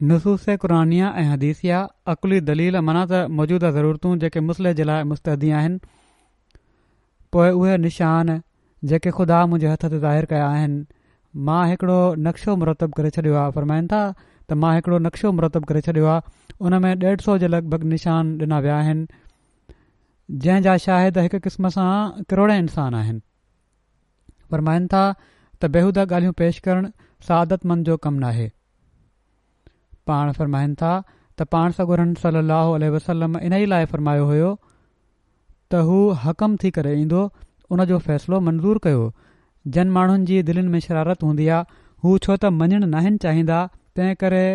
نصوص قرآنيه ۽ حديثيه، عقلي دليل معنيٰ ته موجوده ضرورتون جيڪي مصلح جي لاء مستعدي آهن، پوء اهي نشان جيڪي خدا منهنجي هٿ تي ظاهر ڪيا آهن، مان هڪڙو نقشو مرتب ڪري ڇڏيو آ. فرمائن ٿا ته مان هڪڙو نقشو مرتب ڪري ڇڏيو آ، ان ۾ ڏيڍ سو جي لڳ ڀڳ نشان ڏنا ويا آهن، جنهن جا شاهد هڪ قسم سان ڪروڙين انسان آهن. فرمائن ٿا ته بيهوده ڳالهيون پيش ڪرڻ سعادت مند جو ڪم ناهي. پاڻ فرمائن ٿا ته پاڻ سڳورن صلي الله عليه وسلم انهي لاء فرمايو هيو ته هو حڪم ٿي ڪري ايندو، ان جو فيصلو منظور ڪيو. جن ماڻهن جي دلين ۾ شرارت هوندي آ، هو ڇو ته مڃڻ ناهن چاهيندا، تنهن ڪري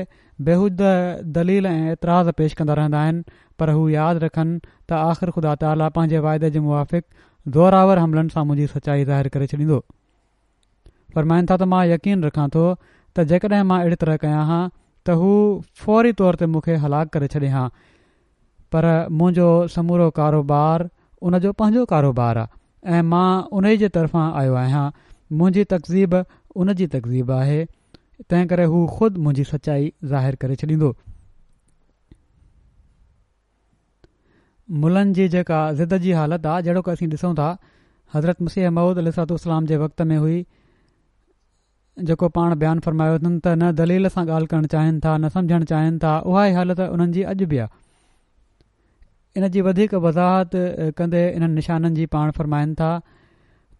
بيهوده دليل ۽ اعتراض پيش ڪندا رهندا آهن، پر هو ياد رکن ته آخر خدا تعاليٰ پنهنجي واعدي جي موافق زوراور حملن سان منهنجي سچائي ظاهر ڪري ڇڏيندو. فرمائن ٿا ته مان يقين رکان ٿو ته جيڪڏهن مان اهڙي طرح ڪيان ها ته هو فوري طور تي مون کي هلاڪ ڪري ڇڏي ها، پر منهنجو سمورو ڪاروبار ان جو پنهنجو ڪاروبار آ ۽ مان انهي جي طرفان آيو آهيان، منهنجي تڪذيب ان جي تڪذيب آهي، تنهن ڪري هو خود منهنجي سچائي ظاهر ڪري ڇڏيندو. ملن جي جيڪا ضد جي حالت آ، جهڙوڪ اسين ڏسون ٿا حضرت مسيح موعود عليه الصلوة والسلام جي وقت ۾ هئي، جيڪو پاڻ بيان فرمايو اٿن ته نه دليل سان ڳالهه ڪرڻ چاهين ٿا نه سمجهڻ چاهين ٿا، اها ئي حالت انهن جي اڄ به آ. ان جي وڌيڪ وضاحت ڪندي انهن نشانن جي پاڻ فرمائن ٿا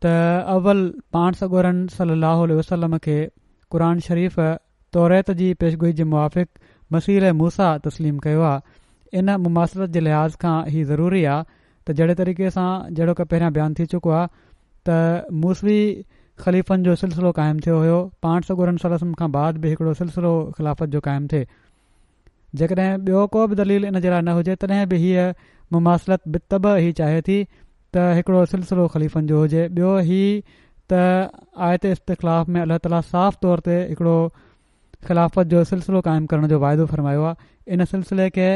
ته اول پاڻ سڳورن صلي الله عليه وسلم کي قرآن شريف توريت جي پيشگوئي جي موافق مسيح موسيٰ تسليم ڪيو آ. ان مماثلت جي لحاظ کان هي ضروري آ ته جهڙي طريقي سان جهڙوڪ پهريان بيان ٿي چڪو آ ته موسوي خليفن جو سلسلو قائم ٿيو هيو، پاڻ سڳورن صلي الله عليه وسلم کان بعد به هڪڙو سلسلو خلافت جو قائم ٿئي. جيڪڏهن ٻيو ڪو به دليل ان جي لاء نه هجي تڏهن به هيء مماثلت بالطبع هي چاهي ٿي ته هڪڙو سلسلو خليفن جو هجي. ٻيو هي ته آيت استخلاف ۾ الله تعاليٰ صاف طور تي هڪڙو خلافت جو سلسلو قائم ڪرڻ جو واعدو فرمايو آهي. ان سلسلي کي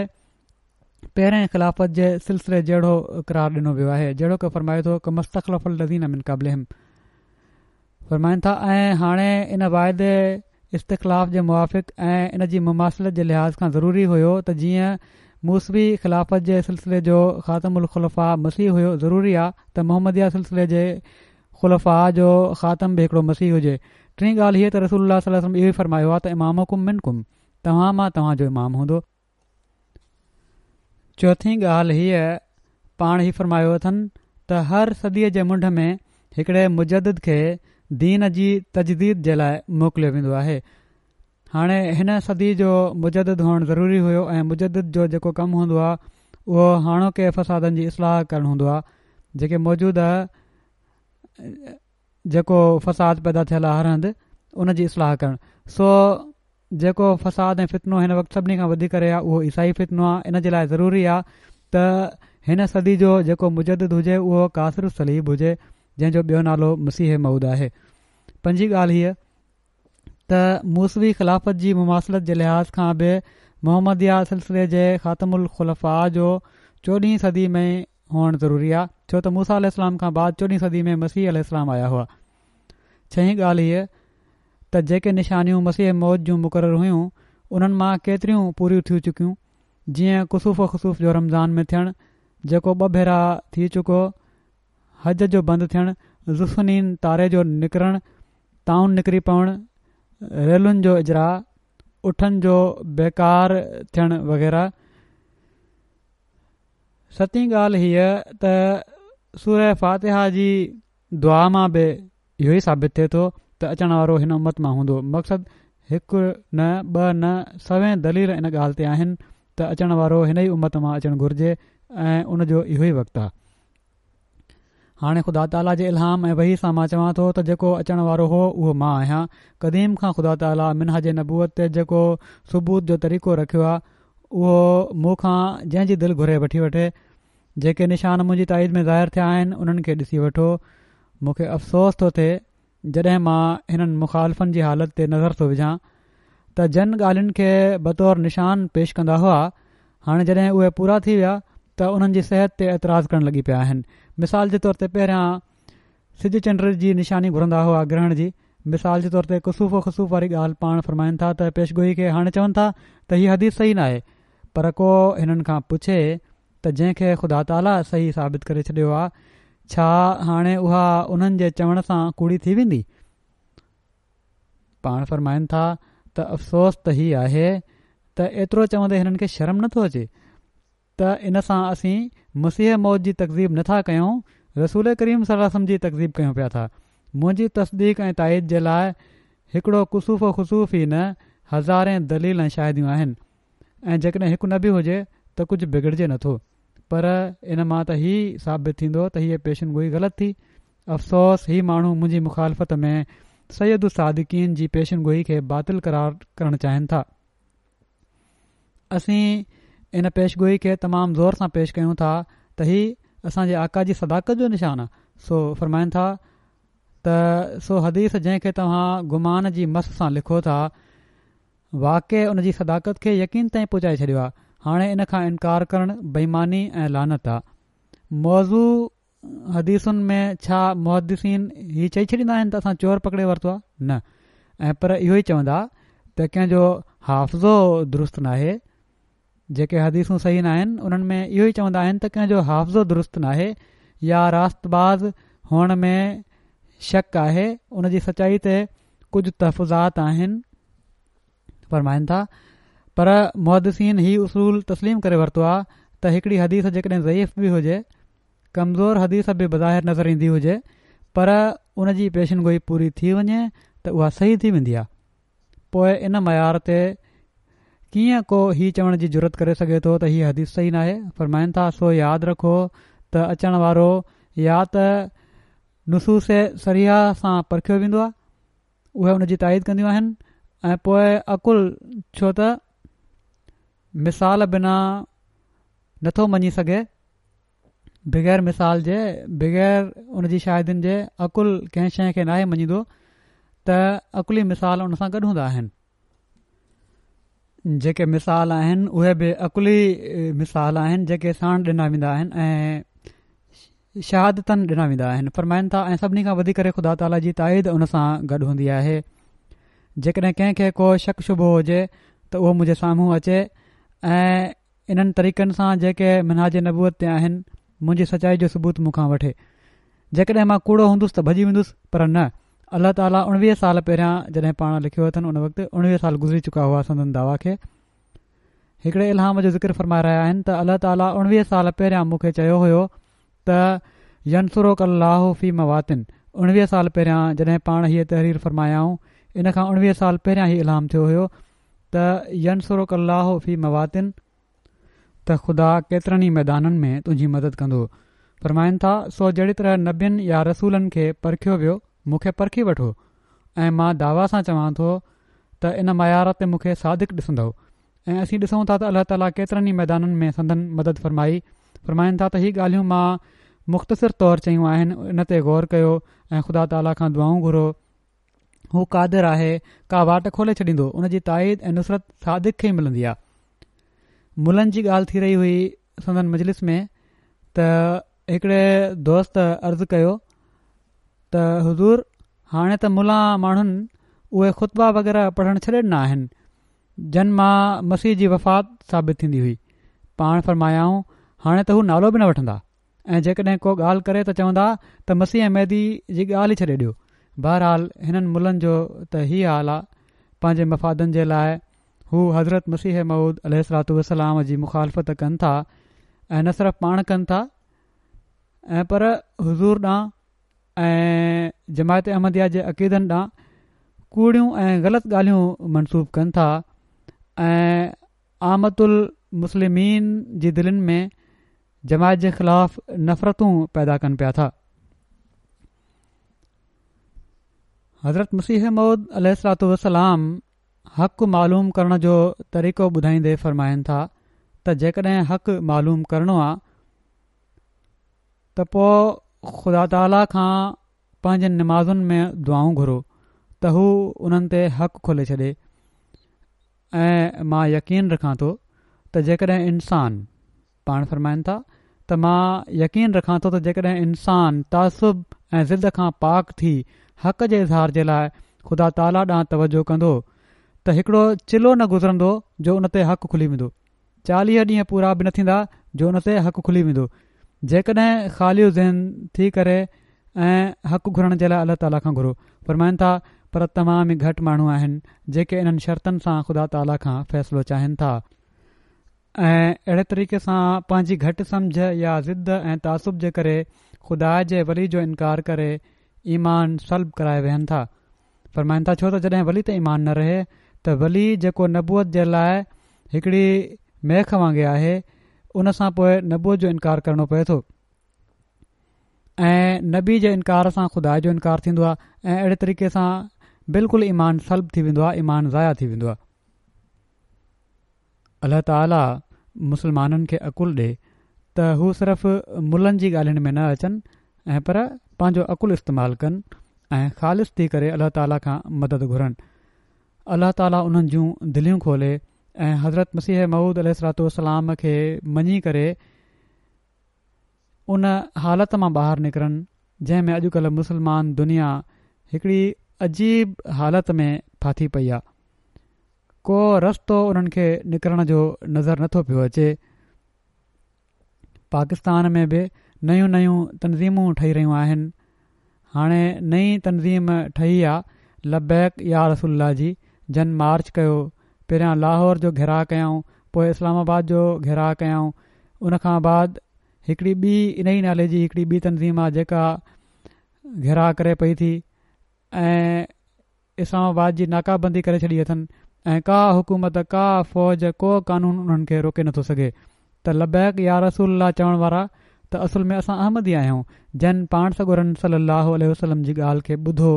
پهرين خلافت جي سلسلي جهڙو قرار ڏنو ويو آهي، جهڙوڪ فرمائي ٿو ڪما استخلف الذين من قبلهم. فرمائن ٿا ۽ هاڻي ان واعدي استخلاف جي موافق ۽ ان جي مماثلت جي لحاظ کان ضروري هيو ته جيئن موسوي خلافت جي سلسلي جو خاتم الخلفاء مسيح هيو، ضروري آ ته محمديه سلسلي جي خلفاء جو خاتم به هڪڙو مسيح هجي. ٽين ڳالهه هيء ته رسول الله صلي الله عليه وسلم اهو ئي فرمايو آ ته امامڪم منڪم، توهان مان توهان جو امام هوندو. چوٿين ڳالهه هيء پاڻ هي فرمايو اٿن ته هر صديء جي منڍ ۾ هڪڙي مجدد کي دين جي تجديد جي لاء موڪليو ويندو آهي. هاڻي هن صدي جو مجدد هئڻ ضروري هيو ۽ مجدد جو جيڪو ڪم هوندو آهي اهو هاڻوڪي فسادن جي اصلاح ڪرڻ هوندو آهي، جيڪي موجوده جيڪو فساد پيدا ٿيل آهي هر هنڌ ان جي اصلاح ڪرڻ. سو جيڪو فساد ۽ فتنو هن وقت سڀني کان وڌي ڪري آهي اهو عيسائي فتنو آهي. ان جي لاء ضروري آهي ته هن صدي جو جيڪو مجدد هجي اهو ڪاسر الصليب هجي، جنهن جو ٻيو نالو مسيح موعود آهي. پنجين ڳالهه هيء ته موسوي خلافت جي مماثلت جي لحاظ کان به محمديه سلسلي جي خاتم الخلفاء جو چوڏهين صدي ۾ هئڻ ضروري آهي، ڇو ته موسيٰ عليه السلام کان بعد چوڏهين صدي ۾ مسيح عليه السلام آيا هئا. ڇهين ڳالهه هيء ته جيڪي نشانيون مسيح موعود جون مقرر هيون انهن مان ڪيتريون پوريون ٿي چڪيون، جيئن ڪسوف و خسوف جو رمضان ۾ ٿيڻ، جيڪو ٻه ڀيرا ٿي چڪو، حج جو بند ٿيڻ، ذوالسنين تاري جو نڪرڻ، طاعون نڪري پوڻ، ريلن جو اجراء، اٺن جو بيڪار ٿيڻ وغيره. ستين ڳالهه هيء ته سوره فاتحه جي دعا مان به اهو ئي ثابت ٿئي ٿو ته اچڻ وارو هن امت مان هوندو. مقصد هڪ نه ٻه نه سوين دليل ان ڳالهه تي آهن ته اچڻ وارو هن ئي امت مان اچڻ گهرجي ۽ ان جو اهو ئي وقت آهي. هاڻي خدا تعاليٰ جي الهام ۽ وحي سان مان چوان ٿو ته جيڪو اچڻ وارو هو اهو مان آهيان. قديم کان خدا تعاليٰ منهاج نبوت تي جيڪو ثبوت جو طريقو رکيو آهي اهو مون کان جنهن جي دل گهري وٺي وٺي. جيڪي نشان منهنجي تائيد ۾ ظاهر ٿيا آهن انهن کي ڏسي وٺو. مون کي افسوس ٿو ٿئي جڏهن مان هنن مخالفن جي حالت تي نظر ٿو وجهان ته جن ڳالهين کي بطور نشان پيش ڪندا هئا هاڻي جڏهن اهي پورا ٿي ويا ته انهن جي صحت تي اعتراض ڪرڻ لڳي پيا آهن. مثال جي طور تي پهريان سج چنڊ جي نشاني گهرندا هئا گرهڻ جي، مثال جي طور تي ڪسوف و خسوف واري ڳالهه پاڻ فرمائن ٿا ته پيشگوئي کي هاڻي چون ٿا ته هي حديث صحيح ناهي، پر ڪو هنن کان پڇي ته جنهن کي خدا تعاليٰ صحيح ثابت ڪري ڇڏيو آهي ڇا هاڻي اها انهن جي چوڻ سان ڪوڙي ٿي ويندي؟ پاڻ فرمائن ٿا ته افسوس ته هي آهي ته ايترو چوندي هنن کي شرم نٿو اچي ته ان سان اسين مسيح موعود جي تڪذيب نٿا ڪيون، رسول ڪريم صلي الله عليه وسلم جي تڪذيب ڪيون پيا ٿا. منهنجي تصديق ۽ تائيد جي لاء هڪڙو ڪسوف و خسوف ئي نه هزارين دليل ۽ شاهديون آهن ۽ جيڪڏهن هڪ نه به هجي ته ڪجهه بگڙجي نٿو، پر ان مان ته هي ثابت ٿيندو ته هيء پيشن گوئي غلط ٿي. افسوس هي ماڻهو منهنجي مخالفت ۾ سيد الصادقين جي پيشن گوئي کي باطل قرار ڪرڻ چاهين ٿا. اسين ان پيشگوئي کي تمام زور سان پيش ڪيون ٿا ته هي اسان جي آقا جي صداقت جو نشان آهي. سو فرمائن ٿا ته سو حديث جنهن کي توهان گمان جي مس سان لکو ٿا واقعي ان جي صداقت کي يقين تائين پهچائي ڇڏيو آهي. هاڻي ان کان انڪار ڪرڻ بيماني ۽ لعنت آهي. موضوع حديثن ۾ ڇا محدثين هي چئي ڇڏيندا آهن ته اسان چور پڪڙي ورتو آهي؟ نه، ۽ پر اهو ئي چوندا ته ڪنهن جو حافظو درست ناهي. جيڪي حديثون صحيح ناهن انهن ۾ اهو ئي چوندا آهن ته ڪنهن جو حافظو درست ناهي يا راست باز هئڻ ۾ شڪ آهي، ان جي سچائي تي ڪجهه تحفظات آهن. فرمائن ٿا پر محدثين هي اصول تسليم ڪري ورتو آهي ته هڪڙي حديث جيڪڏهن ضعيف به هجي، ڪمزور حديث به بظاهر نظر ايندي هجي، پر ان جي پيشن گوئي پوري ٿي وڃي ته اها صحيح ٿي ويندي آهي. پوء ان معيار تي ڪيئن ڪو هي چوڻ جي جرئت ڪري سگهي ٿو ته هي حديث صحيح ناهي؟ فرمائن ٿا سو ياد رکو ته اچڻ وارو يا ته نصوص صريحه سان پرکيو ويندو آهي، اهي ان جي تائيد ڪنديون آهن ۽ پوء عقل، ڇو ته مثال بنا نٿو مڃي سگهي، بغير مثال جي، بغير ان جي شاهدين جي عقل ڪنهن شيء کي ناهي مڃيندو ته عقلي مثال ان سان گڏ هوندا آهن. جيڪي مثال آهن اهي به عقلي مثال آهن جيڪي ساڻ ڏنا ويندا آهن ۽ شهادتن ڏنا ويندا آهن. فرمائن ٿا ۽ سڀني کان وڌي ڪري خدا تعاليٰ جي تائيد ان سان گڏ هوندي آهي. جيڪڏهن ڪنهن کي ڪو شڪ شبهو هجي ته اهو منهنجي سامهون اچي ۽ انهن طريقن سان جيڪي منهاج نبوت تي آهن منهنجي سچائي جو ثبوت مون کان وٺي. جيڪڏهن مان ڪوڙو هوندس ته ڀڄي ويندس پر نه، الله تعاليٰ اڻويهه سال پهريان جڏهن پاڻ لکيو اٿن ان وقت اڻويهه سال گذري چڪا هئا سندن دعويٰ کي هڪڙي الهام جو ذڪر فرمائي رهيا آهن ته الله تعاليٰ اڻويهه سال پهريان مون کي چيو هيو ته ينصرڪ الله في مواطن اڻويهه سال پهريان جڏهن پاڻ هيء تحرير فرمايائون ان کان اڻويهه سال پهريان هي الهام ٿيو هيو ته ينصرک الله في مواطن، ته خدا ڪيترن ئي ميدانن ۾ تنهنجي مدد ڪندو. فرمائن ٿا، سو جهڙي طرح نبين يا رسولن کي پرکيو ويو مون کي پرکي وٺو، ۽ مان دعويٰ سان چوان ٿو ته ان معيار تي مون کي صادق ڏسندؤ. ۽ اسين ڏسون ٿا ته الله تعاليٰ ڪيترن ئي ميدانن ۾ سندن مدد فرمائي. فرمائن ٿا ته هي ڳالهيون مان مختصر طور چيون آهن، ان تي غور ڪيو ۽ خدا تعاليٰ کان دعائون گهرو. هو قادر آهي، ڪا واٽ کولي ڇڏيندو، ان جي تائيد ۽ نصرت صادق کي ئي ملندي آهي. ملن جي ڳالهه ٿي رهي هئي سندن مجلس ۾ ته هڪڙي دوست عرض ڪيو ته حضور هاڻي ته ملا ماڻهن اهي خطبا وغيره پڙهڻ ڇڏي ڏنا آهن جن مان مسيح جي وفات ثابت ٿيندي هئي. پاڻ فرمايائون هاڻي ته هو نالو به نه وٺندا، ۽ جيڪڏهن ڪو ڳالهه ڪري ته چوندا ته مسيح ۽ مهدي جي ڳالهه ئي ڇڏي ڏيو. بهرحال هنن ملن جو ته هي حال آ، پنهنجي مفادن جي لاءِ هو حضرت مسيح موعود عليه الصلوة والسلام جي مخالفت ڪن ٿا، ۽ نه صرف پاڻ ڪن ٿا ۽ پر حضور ڏانهن ۽ جماعت احمديه جي عقيدن ڏانهن ڪوڙيون ۽ غلط ڳالهيون منسوب ڪن ٿا، ۽ عامة المسلمين جي دلين ۾ جماعت جي خلاف نفرتون پيدا ڪن پيا ٿا. حضرت مسيح موعود عليه الصلوة والسلام حق معلوم ڪرڻ جو طريقو ٻڌائيندي فرمائن ٿا ته جيڪڏهن حق معلوم ڪرڻو آ ته پوءِ خدا تعاليٰ کان پنهنجن نمازن ۾ دعائون گهرو ته هو انهن تي حق کولي ڇڏي. ۽ مان يقين رکان ٿو ته جيڪڏهن انسان، پاڻ فرمائن ٿا ته مان يقين رکان ٿو ته جيڪڏهن انسان تعصب ۽ ضد کان پاڪ ٿي حق جي اظهار جي لاءِ خدا تعاليٰ ڏانهن توجه ڪندو ته هڪڙو چلو نه گذرندو جو ان تي حق کلي ويندو، چاليهه ڏينهن پورا به نه ٿيندا جو ان تي حق کلي ويندو. جيڪڏهن خالي ذهن ٿي ڪري ۽ حق گهرڻ جي لاءِ الله تعاليٰ کان گهرو. فرمائن ٿا پر تمام ئي گهٽ ماڻهو آهن جيڪي انهن شرطن سان خدا تعاليٰ کان فيصلو چاهين ٿا، ۽ اهڙي طريقي سان پنهنجي گهٽ سمجهه يا ضد ۽ تعصب جي ڪري خدا جي ولي جو انڪار ڪري ايمان سلب ڪرائي ويهن ٿا. فرمائن ٿا ڇو ته جڏهن ولي تي ايمان نه رهي ته ولي جيڪو نبوت جي لاءِ هڪڙي ميخ وانگي آهي ان سان پوءِ نبوت جو انڪار ڪرڻو پئي ٿو، ۽ نبي جي انڪار سان خدا جو انڪار ٿيندو آهي، ۽ اهڙي طريقي سان بلڪل ايمان سلب ٿي ويندو آهي، ايمان ضايع ٿي ويندو آهي. الله تعاليٰ مسلمانن کي عقل ڏي ته هو صرف ملن جي ڳالهين ۾ نه اچن ۽ پر پنهنجو عقل استعمال ڪن ۽ خالص ٿي ڪري الله تعاليٰ کان مدد گهرن. الله تعاليٰ انهن جون دليون کولي ۽ حضرت مسيح موعود عليه الصلوة والسلام کي مڃي ڪري ان حالت مان ٻاهر نڪرن جنهن ۾ اڄڪلهه مسلمان دنيا هڪڙي عجيب حالت ۾ ڦاٿي پئي آ. ڪو رستو انهن کي نڪرڻ جو نظر نٿو پيو اچي. پاڪستان ۾ به نيون نيون تنظيمون ٺهي رهيون آهن. هاڻي نئين تنظيم ٺهي آ لبيڪ يا رسول الله جي، جن مارچ ڪيو، پهريان لاهور جو گهيراءُ ڪيائون، پوءِ اسلام آباد جو گهيراءُ ڪيائون، ان کان بعد هڪڙي ٻي ان ئي نالي جي هڪڙي ٻي تنظيم آ جيڪا گهيراءُ ڪري پئي ٿي ۽ اسلام آباد جي ناڪابندي ڪري ڇڏي اٿن، ۽ ڪا حڪومت ڪا فوج ڪو قانون انهن کي روڪي نٿو سگهي. ته لبيڪ يا رسول الله چوڻ وارا ته اصل ۾ اسان احمدي آهيون، جن پاڻ سڳورن صلي الله عليه وسلم جي ڳالهه کي ٻڌو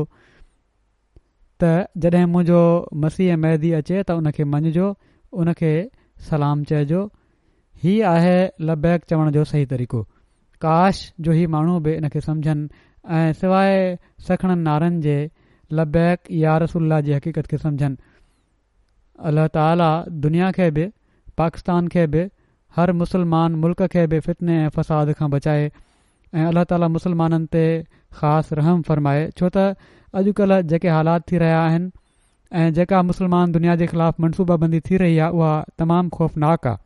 ته جڏهن منهنجو مسيح مهدي اچي ته ان کي مڃجو، ان کي سلام چئجو. هي آهي لبيڪ چوڻ جو صحيح طريقو. ڪاش جو هي ماڻهو به ان کي سمجهن ۽ سواءِ سکڻن نعرن جي لبيڪ يا رسول الله جي حقيقت کي سمجهن. الله تعاليٰ دنيا کي به، پاڪستان کي به، هر مسلمان ملڪ کي به فتني ۽ فساد کان بچائي، ۽ الله تعاليٰ مسلمانن تي خاص رحم فرمائي. ڇو ته اڄڪلهه جيڪي حالات ٿي رهيا آهن ۽ جيڪا مسلمان دنيا جي خلاف منصوبه بندي ٿي رهي آهي اها تمام خوفناڪ آهي.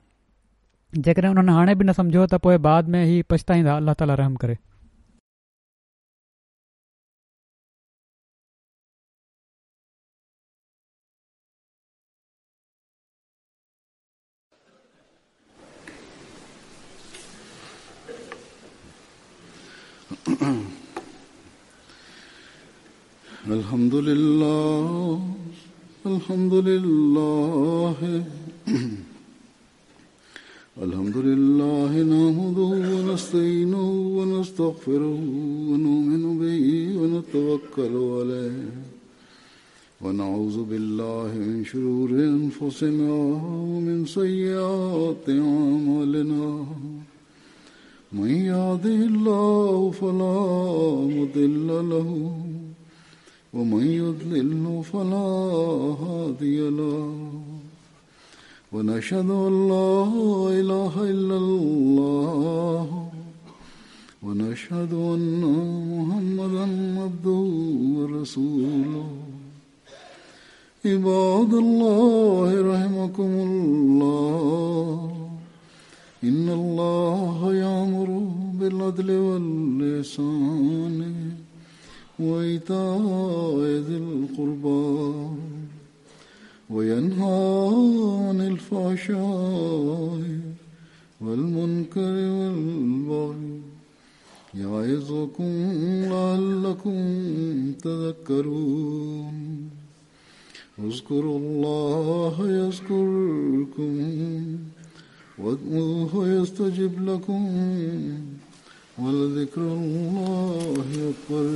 جيڪڏهن انهن هاڻي به نه سمجهيو ته پوءِ بعد ۾ هي پڇتائيندا. الله تعاليٰ رحم ڪري. الحمد لله الحمد لله الحمد لله نحمده ونستعينه ونستغفره ونؤمن به ونتوكل عليه ونعوذ بالله من شرور أنفسنا ومن سيئات أعمالنا من يهده الله فلا مضل له ومن يضلل فلا هادي له ونشهد أن لا إله إلا الله ونشهد أن محمدا عبده ورسوله. عباد الله رحمكم الله، إن الله يأمر بالعدل والإحسان وإيتاء ذي القربى وينهى عن الفحشاء والمنكر والبغي يعظكم لعلكم تذكرون. اذكروا الله يذكركم وادعوه يستجب لكم ولذكر الله أكبر.